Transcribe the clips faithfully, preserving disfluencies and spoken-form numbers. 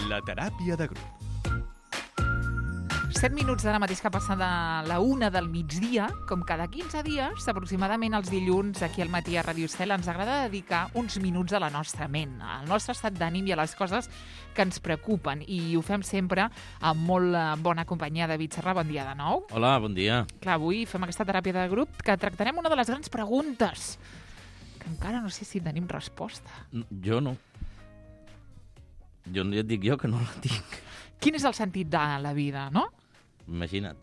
La teràpia de grup. set minuts ara mateix que passa de la una del migdia, com cada quinze dies, aproximadament els dilluns, aquí al matí a Ràdio Estel, ens agrada dedicar uns minuts a la nostra ment, al nostre estat d'ànim i a les coses que ens preocupen. I ho fem sempre amb molt bona companyia. David Serra, bon dia de nou. Hola, bon dia. Clar, avui fem aquesta teràpia de grup que tractarem una de les grans preguntes, que encara no sé si tenim resposta. Jo no. Jo ja et dic jo que no la tinc. Quin és el sentit de la vida, no? Imagina't.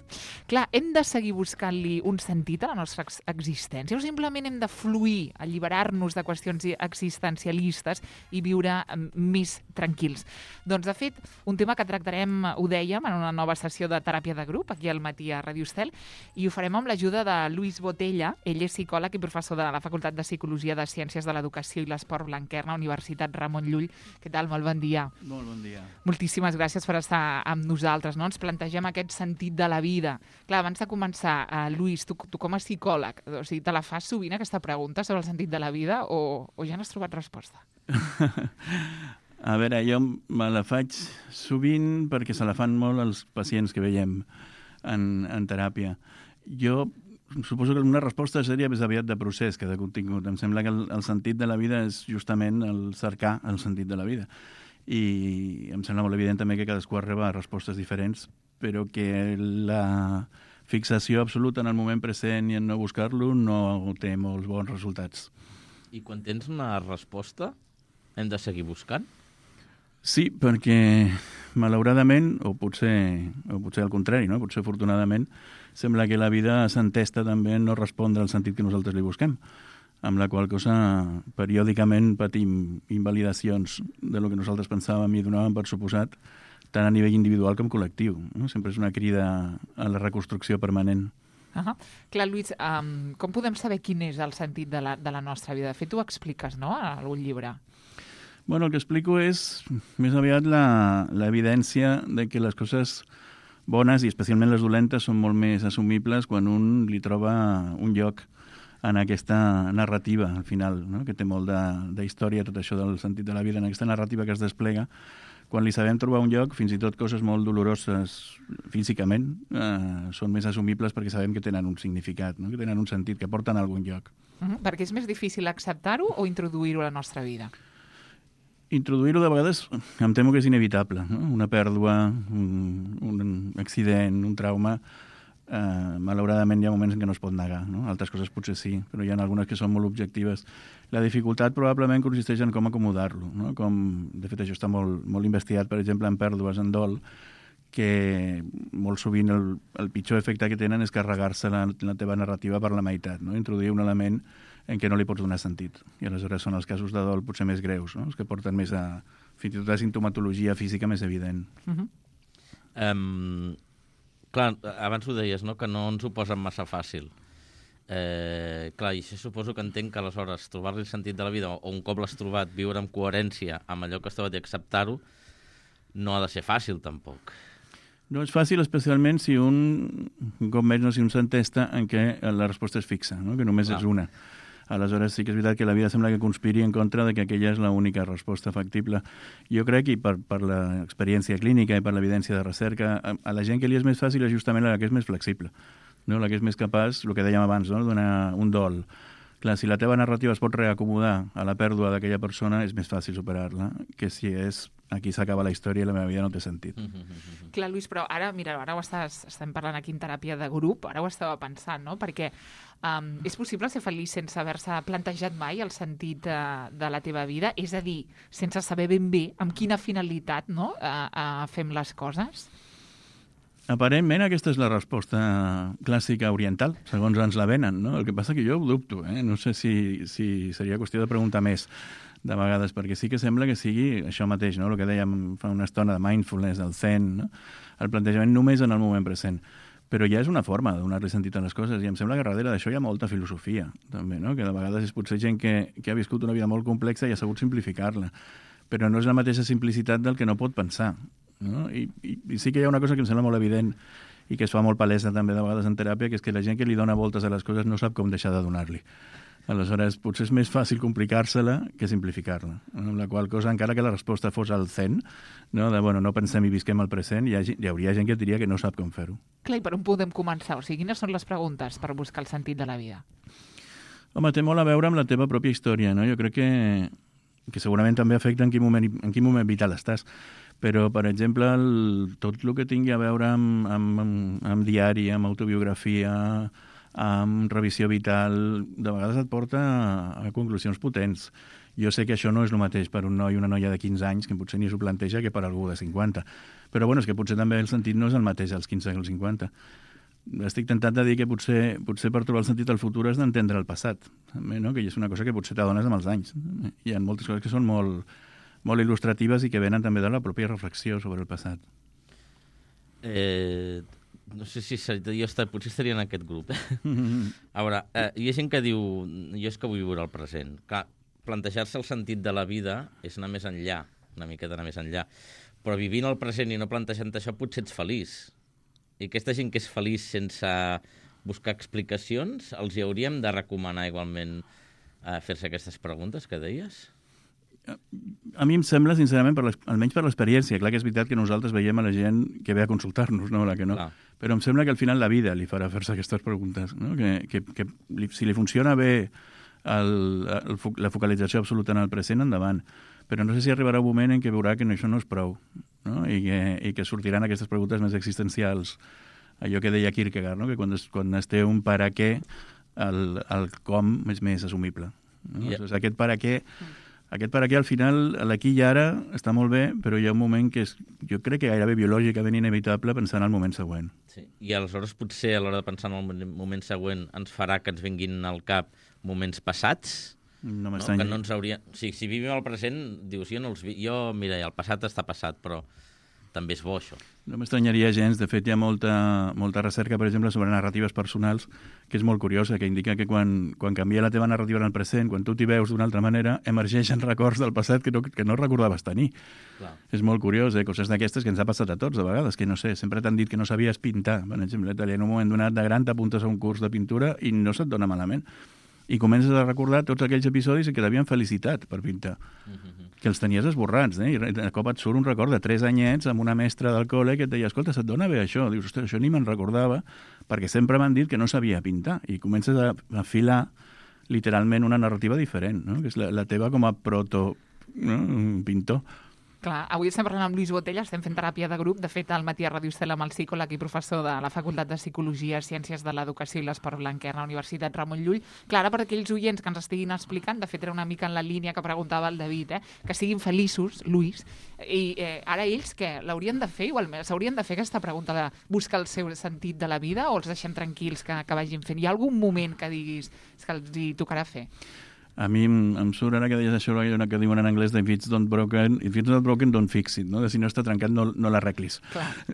Clar, hem de seguir buscant-li un sentit a la nostra ex existència o simplement hem de fluir, alliberar-nos de qüestions existencialistes i viure més tranquils? Doncs, de fet, un tema que tractarem, ho dèiem, en una nova sessió de teràpia de grup, aquí al matí a Ràdio Estel, i ho farem amb l'ajuda de Luis Botella. Ell és psicòleg i professor de la Facultat de Psicologia de Ciències de l'Educació i l'Esport Blanquerna, Universitat Ramon Llull. Què tal? Molt bon dia. Molt bon dia. Moltíssimes gràcies per estar amb nosaltres, no? Ens plantegem aquest sentit de la vida. Clar, abans de començar, uh, Lluís, tu, tu com a psicòleg, o sigui, te la fas sovint aquesta pregunta sobre el sentit de la vida o, o ja n'has trobat resposta? A veure, jo me la faig sovint perquè se la fan molt els pacients que veiem en, en teràpia. Jo suposo que una resposta seria més aviat de procés que de contingut. Em sembla que el, el sentit de la vida és justament el cercar el sentit de la vida. I em sembla molt evident també que cadascú arriba a respostes diferents, però que la fixació absoluta en el moment present i en no buscar-lo no té molts bons resultats. I quan tens una resposta, hem de seguir buscant? Sí, perquè malauradament, o potser, o potser al contrari, no? Potser afortunadament, sembla que la vida s'entesta també en no respondre al sentit que nosaltres li busquem, amb la qual cosa periòdicament patim invalidacions de lo que nosaltres pensàvem i donàvem per suposat, tant a nivell individual com col·lectiu. No? Sempre és una crida a la reconstrucció permanent. Uh -huh. Clar, Lluís, um, com podem saber quin és el sentit de la, de la nostra vida? De fet, ho expliques, no?, en algun llibre. Bueno, el que explico és més aviat l'evidència de que les coses bones, i especialment les dolentes, són molt més assumibles quan un li troba un lloc en aquesta narrativa, al final, no? Que té molt d'història, tot això del sentit de la vida, en aquesta narrativa que es desplega. Quan li sabem trobar un lloc, fins i tot coses molt doloroses físicament eh, són més assumibles perquè sabem que tenen un significat, no? Que tenen un sentit, que porten a algun lloc. Uh -huh. Perquè és més difícil acceptar-ho o introduir-ho a la nostra vida? Introduir-ho de vegades em temo que és inevitable, no? Una pèrdua, un, un accident, un trauma, eh, malauradament hi ha moments en què no es pot negar, no? Altres coses potser sí, però hi ha algunes que són molt objectives. La dificultat probablement consisteix en com acomodar-lo, no? Com, de fet, això està molt, molt investigat, per exemple, en pèrdues, en dol, que molt sovint el, el pitjor efecte que tenen és carregar-se la, la teva narrativa per la meitat, no? Introduir un element en què no li pots donar sentit. I aleshores són els casos de dol potser més greus, no? Els que porten més a, fins i tot a sintomatologia física més evident. Uh -huh. um, clar, abans ho deies, no?, que no ens ho posen massa fàcil. Eh, clar, i això suposo que entenc que aleshores trobar-li el sentit de la vida, o un cop l'has trobat, viure amb coherència amb allò que estava i acceptar-ho, no ha de ser fàcil tampoc. No és fàcil, especialment si un, un cop més, no, si un s'entesta en què la resposta és fixa, no? Que només Clar. és una. Aleshores sí que és veritat que la vida sembla que conspiri en contra de que aquella és l'única resposta factible. Jo crec, i per, per l'experiència clínica i per l'evidència de recerca, a, a la gent que li és més fàcil és justament la que és més flexible, no? La que és més capaç, el que dèiem abans, no?, donar un dol. Clar, si la teva narrativa es pot reacomodar a la pèrdua d'aquella persona, és més fàcil superar-la que si és aquí s'acaba la història i la meva vida no té sentit. Mm -hmm. Clar, Lluís, però ara, mira, ara ho estàs, estem parlant aquí en teràpia de grup, ara ho estava pensant, no?, perquè um, és possible ser feliç sense haver-se plantejat mai el sentit de, de la teva vida? És a dir, sense saber ben bé amb quina finalitat, no?, uh, uh, fem les coses? Aparentment aquesta és la resposta clàssica oriental, segons ens la venen, no? El que passa que jo ho dubto, eh? No sé si, si seria qüestió de preguntar més de vegades, perquè sí que sembla que sigui això mateix, no? El que dèiem fa una estona de mindfulness, del zen, no? El plantejament només en el moment present. Però ja és una forma de donar-li sentit a les coses, i em sembla que darrere d'això hi ha molta filosofia, també, no? Que de vegades és potser gent que, que ha viscut una vida molt complexa i ha sabut simplificar-la, però no és la mateixa simplicitat del que no pot pensar, no? I, i, i sí que hi ha una cosa que em sembla molt evident i que es fa molt palesa també de vegades en teràpia, que és que la gent que li dona voltes a les coses no sap com deixar de donar-li. Aleshores, potser és més fàcil complicar-se-la que simplificar-la. Amb la qual cosa, encara que la resposta fos al zen, no, de, bueno, no pensem i visquem el present, hi, ha, hi hauria gent que et diria que no sap com fer-ho. Clar, i per on podem començar? O sigui, quines són les preguntes per buscar el sentit de la vida? Home, té molt a veure amb la teva pròpia història, no? Jo crec que, que segurament també afecta en quin moment, en quin moment vital estàs. Però, per exemple, el, tot el que tingui a veure amb, amb, amb, amb diari, amb autobiografia, amb revisió vital, de vegades et porta a, a conclusions potents. Jo sé que això no és el mateix per un noi o una noia de quinze anys, que potser ni s'ho planteja, que per algú de cinquanta. Però bueno, és que potser també el sentit no és el mateix als quinze que als cinquanta. Estic tentat de dir que potser, potser per trobar el sentit del futur has d'entendre el passat, també, no? Que és una cosa que potser t'adones amb els anys. Hi ha moltes coses que són molt, molt il·lustratives i que venen també de la pròpia reflexió sobre el passat. Eh... No sé si jo estar, potser estaria en aquest grup. Eh? A veure, eh, hi ha gent que diu jo és que vull viure el present. Clar, plantejar-se el sentit de la vida és anar més enllà, una miqueta anar més enllà. Però vivint el present i no plantejant això potser ets feliç. I aquesta gent que és feliç sense buscar explicacions, els hi hauríem de recomanar igualment eh, fer-se aquestes preguntes que deies? A mi em sembla, sincerament, per almenys per l'experiència, clar que és veritat que nosaltres veiem a la gent que ve a consultar-nos, no? La que no. Clar. Però em sembla que al final la vida li farà fer-se aquestes preguntes, no? Que, que, que li, si li funciona bé el, el, la focalització absoluta en el present, endavant. Però no sé si arribarà un moment en què veurà que no, això no és prou, no? I, que, i que sortiran aquestes preguntes més existencials. Allò que deia Kierkegaard, no? Que quan es, quan es té un para què, el, el com és més assumible. No? Yeah. O sigui, aquest para què... Aquest per aquí, al final, l'aquí i ara està molt bé, però hi ha un moment que és, jo crec que gairebé biològicament inevitable pensar en el moment següent. Sí. I aleshores potser a l'hora de pensar en el moment següent ens farà que ens vinguin al cap moments passats? No no, que no ens hauria... O sigui, si vivim el present, dius, jo no els vi... Jo, mira, el passat està passat, però també és bo, això. No m'estranyaria gens. De fet, hi ha molta, molta recerca, per exemple, sobre narratives personals, que és molt curiosa, que indica que quan, quan canvia la teva narrativa en el present, quan tu t'hi veus d'una altra manera, emergeixen records del passat que no, que no recordaves tenir. Clar. És molt curiós, eh? Coses d'aquestes que ens ha passat a tots, de vegades, que no sé, sempre t'han dit que no sabies pintar. Per exemple, en un moment donat de gran t'apuntes a un curs de pintura i no se't dona malament. I comences a recordar tots aquells episodis que t'havien felicitat per pintar, mm-hmm. que els tenies esborrats, eh? I de cop et surt un record de tres anyets amb una mestra del col·le que et deia, escolta, se't dona bé això? Dius, ostres, això ni me'n recordava, perquè sempre m'han dit que no sabia pintar. I comences a afilar literalment una narrativa diferent, no? Que és la, la teva com a proto, no? Pintor. Clar, avui estem parlant amb Lluís Botella, estem fent teràpia de grup. De fet, al matí a Ràdio Estela amb el psicòleg i professor de la Facultat de Psicologia, Ciències de l'Educació i l'Esport Blanquer a la Universitat Ramon Llull. Clar, per aquells oients que ens estiguin explicant, de fet era una mica en la línia que preguntava el David, eh? Que siguin feliços, Lluís, i eh, ara ells què? L'haurien de fer igualment? S'haurien de fer aquesta pregunta de buscar el seu sentit de la vida o els deixem tranquils que, que vagin fent? Hi ha algun moment que diguis que els hi tocarà fer? A mi em, em surt ara que deies això, que diuen en anglès de if it's not broken, if it's not broken, don't fix it, no? De si no està trencat, no, no l'arreglis.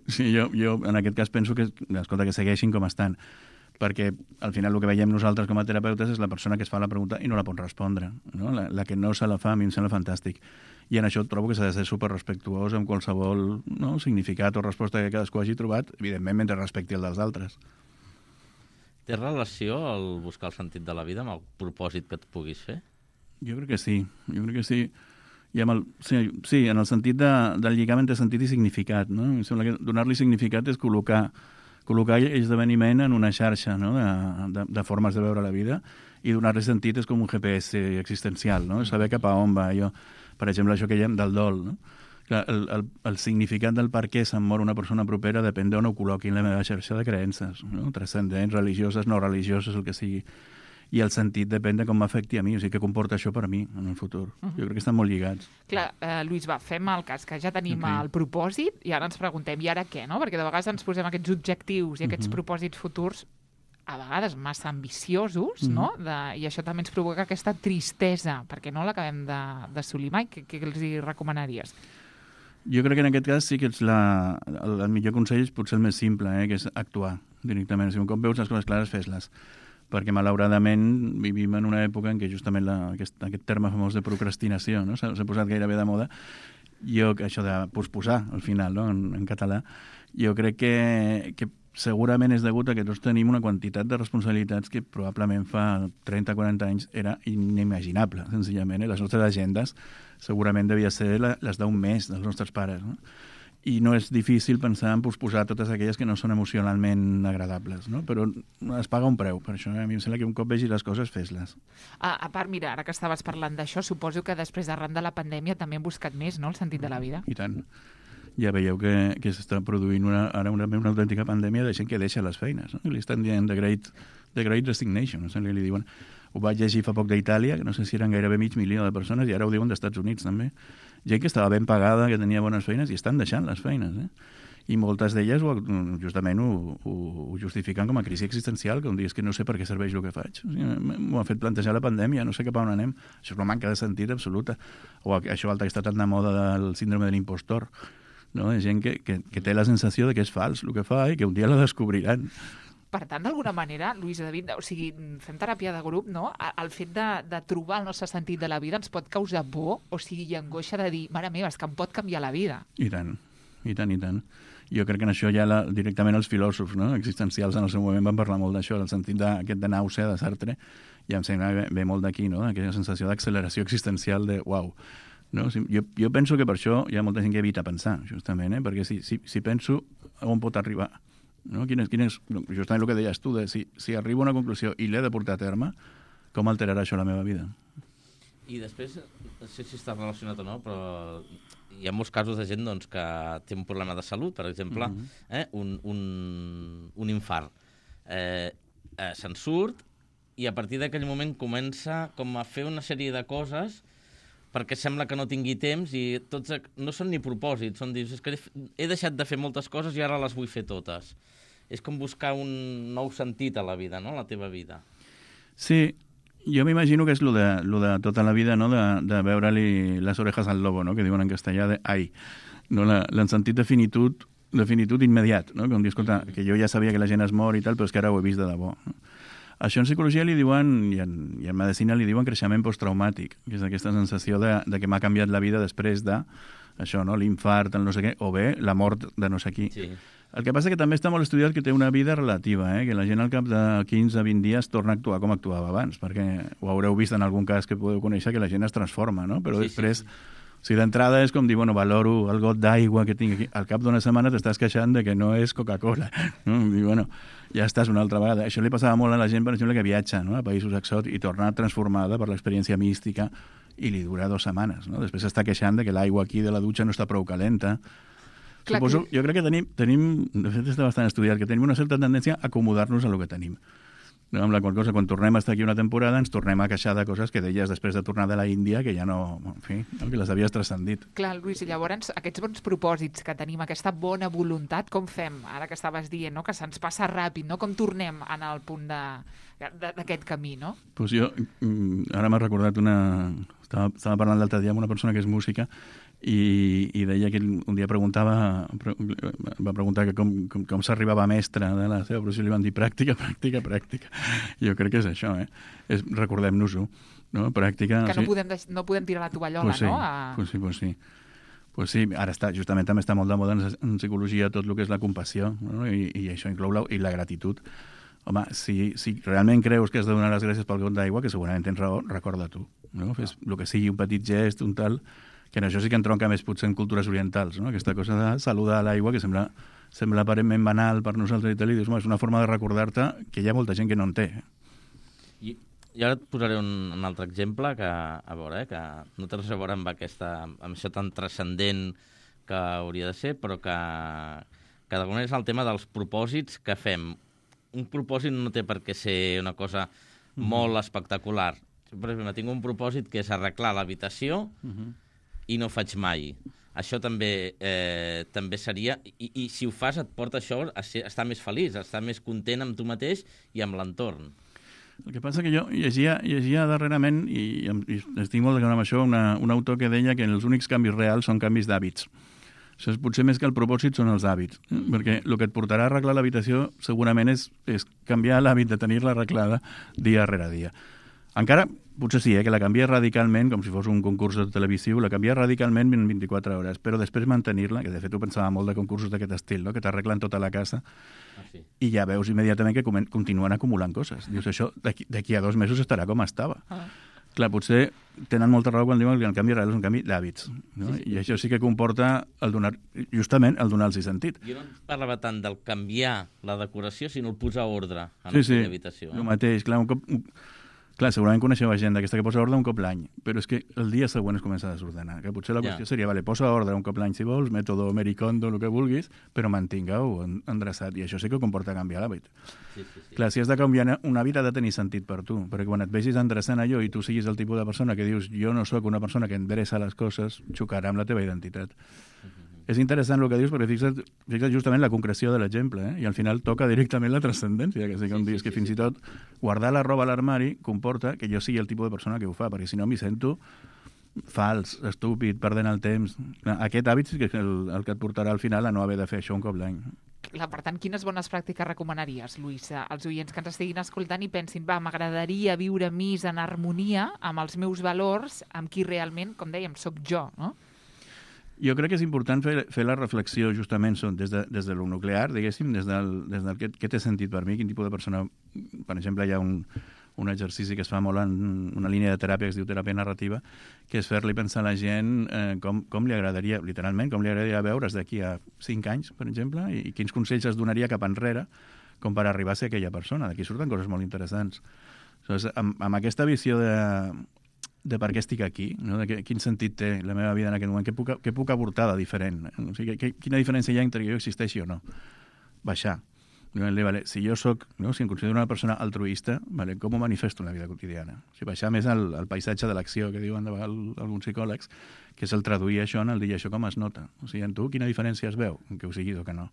Sí, jo, jo en aquest cas penso que, escolta, que segueixin com estan, perquè al final el que veiem nosaltres com a terapeutes és la persona que es fa la pregunta i no la pot respondre, no? La, la que no se la fa, a mi em sembla fantàstic. I en això trobo que s'ha de ser superrespectuós amb qualsevol, no, significat o resposta que cadascú hagi trobat, evidentment mentre respecti el dels altres. Té relació el buscar el sentit de la vida amb el propòsit que et puguis fer? Jo crec que sí, jo crec que sí. I amb el, sí, sí, en el sentit de, del lligament de sentit i significat, no? Em sembla que donar-li significat és col·locar, col·locar esdeveniment en una xarxa, no? de, de, de formes de veure la vida, i donar-li sentit és com un G P S existencial, no? Saber cap a on va allò. Per exemple, això que dèiem del dol, no? El, el, el significat del per què se'm mor una persona propera depèn d'on ho col·loqui en la meva xarxa de creences, no? Transcendents, religioses, no religioses, el que sigui. I el sentit depèn de com m'afecti a mi, o sigui, què comporta això per mi en el futur. Uh-huh. Jo crec que estan molt lligats. Clar, eh, Lluís, va, fem el cas, que ja tenim okay. el propòsit i ara ens preguntem, i ara què, no? Perquè de vegades ens posem aquests objectius i aquests uh-huh. propòsits futurs a vegades massa ambiciosos, mm. no? De, i això també ens provoca aquesta tristesa, perquè no l'acabem d'assolir mai. Què, què els hi recomanaries? Jo crec que en aquest cas sí que ets la, el, el millor consell és potser el més simple, eh, que és actuar directament. O sigui, un cop veus les coses clares, fes-les. Perquè, malauradament, vivim en una època en què justament la, aquest, aquest terme famós de procrastinació, no? s'ha posat gairebé de moda. Jo, això de posposar, al final, no? en, en català, jo crec que, que segurament és degut a que tots tenim una quantitat de responsabilitats que probablement fa trenta o quaranta anys era inimaginable, senzillament. Eh? Les nostres agendes segurament devia ser la, les d'un mes dels nostres pares, no? I no és difícil pensar en posposar totes aquelles que no són emocionalment agradables, no? Però es paga un preu, per això. Eh? A mi em sembla que un cop vegi les coses, fes-les. A, a part, mira, ara que estaves parlant d'això, suposo que després d'arran de la pandèmia també hem buscat més, no?, el sentit de la vida. I tant. Ja veieu que, que s'està produint una, ara una, una autèntica pandèmia de gent que deixa les feines, no? I li estan dient the great, the great resignation, no sé, li diuen. Ho vaig llegir fa poc d'Itàlia, que no sé si eren gairebé mig milió de persones, i ara ho diuen dels Estats Units també. Gent que estava ben pagada, que tenia bones feines, i estan deixant les feines, eh? I moltes d'elles ho, justament ho, ho, ho justifiquen com a crisi existencial, que un dia és que no sé per què serveix el que faig. O sigui, m'ho ha fet plantejar la pandèmia, no sé cap a on anem. Això és una manca de sentit absoluta. O això altre que està tan de moda del síndrome de l'impostor, no? De gent que, que, que té la sensació de que és fals el que fa i que un dia la descobriran. Per tant, d'alguna manera, Lluís i David, o sigui, fem teràpia de grup, no? El fet de, de trobar el nostre sentit de la vida ens pot causar por, o sigui, i angoixa de dir, mare meva, és que em pot canviar la vida. I tant, i tant, i tant. Jo crec que en això ja la, directament els filòsofs, no?, existencials en el seu moment van parlar molt d'això, del sentit d'aquest de nàusea de Sartre, i em sembla que ve molt d'aquí, no?, aquella sensació d'acceleració existencial de uau. No? Jo, jo penso que per això hi ha molta gent que evita pensar, justament, eh? Perquè si, si, si penso, on pot arribar? No? Quin és, quin és, justament el que deies tu, de si, si arribo a una conclusió i l'he de portar a terme, com alterarà això la meva vida? I després, no sé si està relacionat o no, però hi ha molts casos de gent doncs, que té un problema de salut, per exemple, uh-huh. eh, un, un, un infart. Eh, eh, se'n surt i a partir d'aquell moment comença com a fer una sèrie de coses perquè sembla que no tingui temps i tots no són ni propòsits, són dius, és que he deixat de fer moltes coses i ara les vull fer totes. És com buscar un nou sentit a la vida, no?, a la teva vida. Sí, jo m'imagino que és lo de, lo de tota la vida, no?, de, de veure-li les orejas al lobo, no?, que diuen en castellà de ai, no? La, el sentit de finitud, de finitud immediat, no?, com dir, escolta, que jo ja sabia que la gent es mor i tal, però és que ara ho he vist de debò, no? Això en psicologia li diuen, i en, i en medicina li diuen creixement posttraumàtic, que és aquesta sensació de, de que m'ha canviat la vida després de, això, no?, l'infart, el no sé què, o bé la mort de no sé qui. Sí. El que passa que també està molt estudiat que té una vida relativa, eh? Que la gent al cap de quinze a vint dies torna a actuar com actuava abans, perquè ho haureu vist en algun cas que podeu conèixer, que la gent es transforma, no? Però sí, després... Sí, sí. O sigui, d'entrada és com dir, bueno, valoro el got d'aigua que tinc aquí. Al cap d'una setmana t'estàs queixant de que no és Coca-Cola. No? I, bueno, ja estàs una altra vegada. Això li passava molt a la gent, per exemple, que viatja, no?, a països exòtics i torna transformada per l'experiència mística i li dura dues setmanes. No? Després s'està queixant de que l'aigua aquí de la dutxa no està prou calenta. Clar, Suposo, que... jo crec que tenim, tenim, de fet està bastant estudiat, que tenim una certa tendència a acomodar-nos a lo que tenim. No, amb la qual cosa, quan tornem a estar aquí una temporada, ens tornem a queixar de coses que deies després de tornar de la Índia, que ja no, en fi, no, que les havies transcendit. Clar, Lluís, i llavors aquests bons propòsits que tenim, aquesta bona voluntat, com fem? Ara que estaves dient, no?, que se'ns passa ràpid, no? Com tornem a anar al punt d'aquest camí, no? Pues jo, ara m'ha recordat una... Estava, estava parlant l'altre dia amb una persona que és música i, i deia que un dia preguntava va preguntar que com, com, com s'arribava a mestre de la seva professió, li van dir pràctica, pràctica, pràctica. Jo crec que és això, eh? És, recordem-nos-ho, no? Pràctica... Que o sigui, no, podem, no podem tirar la tovallola, pues sí, no? A... Pues sí, pues sí. Pues sí, ara està, justament també està molt de moda en, en psicologia tot el que és la compassió, no? I, i això inclou la, i la gratitud. Home, si, si realment creus que has de donar les gràcies pel got d'aigua, que segurament tens raó, recorda tu, no? Fes el que sigui, un petit gest, un tal... que en això sí que entronca més potser en cultures orientals, no? Aquesta cosa de saludar a l'aigua, que sembla, sembla aparentment banal per nosaltres i tal, i dius, és una forma de recordar-te que hi ha molta gent que no en té. I, i ara et posaré un, un altre exemple que, a veure, eh, que no té res a veure amb, aquesta, amb això tan transcendent que hauria de ser, però que, que d'alguna manera és el tema dels propòsits que fem. Un propòsit no té per què ser una cosa mm-hmm. molt espectacular. Per exemple, tinc un propòsit que és arreglar l'habitació mm-hmm. i no faig mai. Això també eh, també seria... I, I si ho fas et porta això a, ser, a estar més feliç, a estar més content amb tu mateix i amb l'entorn. El que passa que jo llegia, llegia darrerament, i, i estic molt d'acord amb això, una, un autor que deia que els únics canvis reals són canvis d'hàbits. Això és, potser més que el propòsit són els hàbits, eh? Perquè el que et portarà a arreglar l'habitació segurament és, és canviar l'hàbit de tenir-la arreglada dia rere dia. Encara potser sí, eh, que la canvia radicalment, com si fos un concurs de televisió, la canvia radicalment en vint-i-quatre hores, però després mantenir-la, que de fet ho pensava molt de concursos d'aquest estil, no? Que t'arreglen tota la casa, Ah, sí. i ja veus immediatament que comen- continuen acumulant coses. Dius, això d'aquí d'aquí a dos mesos estarà com estava. Ah. Clar, potser tenen molta raó quan diuen que el canvi real és un canvi d'hàbits, no? Sí, sí. I això sí que comporta el donar, justament el donar-los sentit. Jo no parlava tant del canviar la decoració, sinó el posar ordre en Sí, sí, aquella habitació. el Eh? mateix. Clar, un cop, un, clar, segurament coneixeu gent d'aquesta que posa ordre un cop l'any, però és que el dia següent es comença a desordenar. Que potser la Ja. qüestió seria, vale, posa ordre un cop l'any si vols, mètode Americondo, el que vulguis, però mantinga-ho en- endreçat. I això sí que comporta canviar l'hàbit. Sí, sí, sí. Clar, si has de canviar un hàbit ha de tenir sentit per tu, perquè quan et vegis endreçant allò i tu siguis el tipus de persona que dius jo no sóc una persona que endreça les coses, xocarà amb la teva identitat. És interessant el que dius perquè fixa't, fixa't justament la concreció de l'exemple, eh? I al final toca directament la transcendència, que sí que Sí, em sí, dius sí, que fins sí. i tot guardar la roba a l'armari comporta que jo sigui el tipus de persona que ho fa, perquè si no m'hi sento fals, estúpid, perdent el temps. Aquest hàbit sí que és el, el que et portarà al final a no haver de fer això un cop l'any. Clar, per tant, quines bones pràctiques recomanaries, Lluís, als oients que ens estiguin escoltant i pensin, va, m'agradaria viure més en harmonia amb els meus valors, amb qui realment, com dèiem, sóc jo, no? Jo crec que és important fer, fer la reflexió justament són des de, des de lo nuclear, diguéssim, des del, des del què, què té sentit per mi, quin tipus de persona... Per exemple, hi ha un, un exercici que es fa molt en una línia de teràpia que es diu teràpia narrativa, que és fer-li pensar a la gent eh, com, com li agradaria, literalment, com li agradaria veure's d'aquí a cinc anys, per exemple, i, i quins consells es donaria cap enrere com per arribar a ser aquella persona. D'aquí surten coses molt interessants. Aleshores, amb, amb aquesta visió de, de per què estic aquí, no? De que, quin sentit té la meva vida en aquest moment, què puc, què puc aportar de diferent, o sigui, que, quina diferència hi ha entre que jo existeixi o no. Baixar. Vale, si jo soc, no? Si em considero una persona altruista, vale, com ho manifesto en la vida quotidiana? O sigui, baixar més al, al paisatge de l'acció, que diuen de vegades alguns psicòlegs, que és el traduir això en el dir això com es nota. O sigui, en tu quina diferència es veu, en que ho siguis o que no.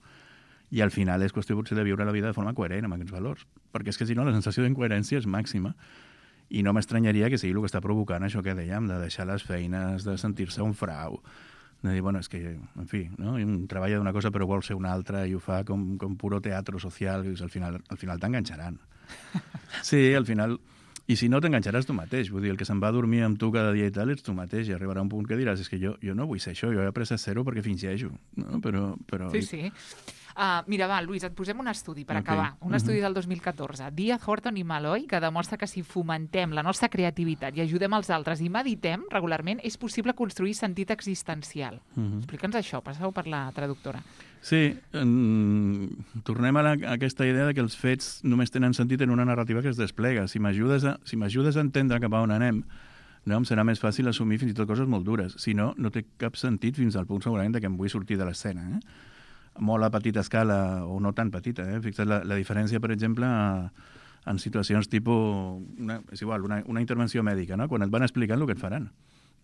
I al final és qüestió potser de viure la vida de forma coherent amb aquests valors, perquè és que si no la sensació d'incoherència és màxima. I no m'estranyaria que sigui el que està provocant això que dèiem, de deixar les feines, de sentir-se un frau, de dir, bueno, és que, en fi, no? Un treballa d'una cosa però vol ser una altra i ho fa com, com puro teatro social, i al final, al final t'enganxaran. Sí, al final... I si no, t'enganxaràs tu mateix. Vull dir, el que se'n va a dormir amb tu cada dia i tal ets tu mateix, i arribarà un punt que diràs és que jo, jo no vull ser això, jo he après a ser-ho perquè fingeixo. No? Però, però... Sí, sí. Uh, mira, va, Lluís, et posem un estudi per Ok. acabar. Un estudi del dos mil catorze. Díaz, Horton i Malloy, que demostra que si fomentem la nostra creativitat i ajudem els altres i meditem regularment, és possible construir sentit existencial. Mhm. Explica'ns això, passeu per la traductora. Sí, en... tornem a, la, a aquesta idea de que els fets només tenen sentit en una narrativa que es desplega. Si m'ajudes a, si m'ajudes a entendre cap a on anem, no, em serà més fàcil assumir fins i tot coses molt dures. Si no, no té cap sentit fins al punt segurament de que em vull sortir de l'escena. Eh? Molt a petita escala, o no tan petita. Eh? Fixa't la, la diferència, per exemple, a, en situacions tipus... Una, és igual, una, una intervenció mèdica, no? Quan et van explicant el que et faran.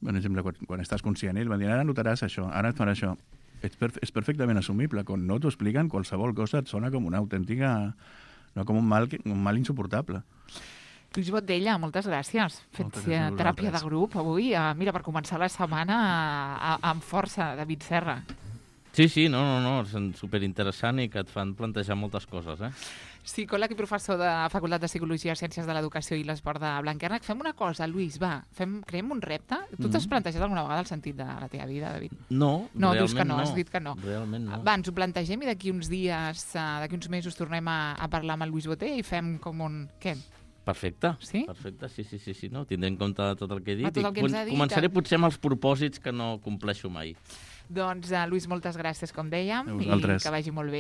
Per exemple, quan, quan estàs conscient, et van dir, ara notaràs això, ara et farà això. És, perf és perfectament assumible. Quan no t'ho expliquen, qualsevol cosa et sona com una autèntica... no com un mal, un mal insuportable. Lluís Botella, moltes gràcies. Fets Moltes gràcies a eh, teràpia de vosaltres. grup avui. Uh, mira, per començar la setmana uh, amb força, David Serra. Sí, sí, no, no, no, és superinteressant i que et fan plantejar moltes coses, eh? Psicòleg i professor de la Facultat de Psicologia, Ciències de l'Educació i l'Esport de Blanquerna. Fem una cosa, Lluís, va, fem, creem un repte. Tu t'has Mhm. plantejat alguna vegada el sentit de la teva vida, David? No, No, realment dius que no, no. has dit que no. Realment no. Va, ens ho plantegem i d'aquí uns dies, uh, d'aquí uns mesos tornem a, a parlar amb el Lluís Botella i fem com un... Què? Perfecte, Sí? perfecte, sí, sí, sí, sí, no? Tindré en compte tot el que he dit. Va, tot el que ens ha dit, Començaré eh? potser amb els propòsits que no compleixo mai. Doncs, uh, Lluís, moltes gràcies, com dèiem, A i vosaltres. que vagi molt bé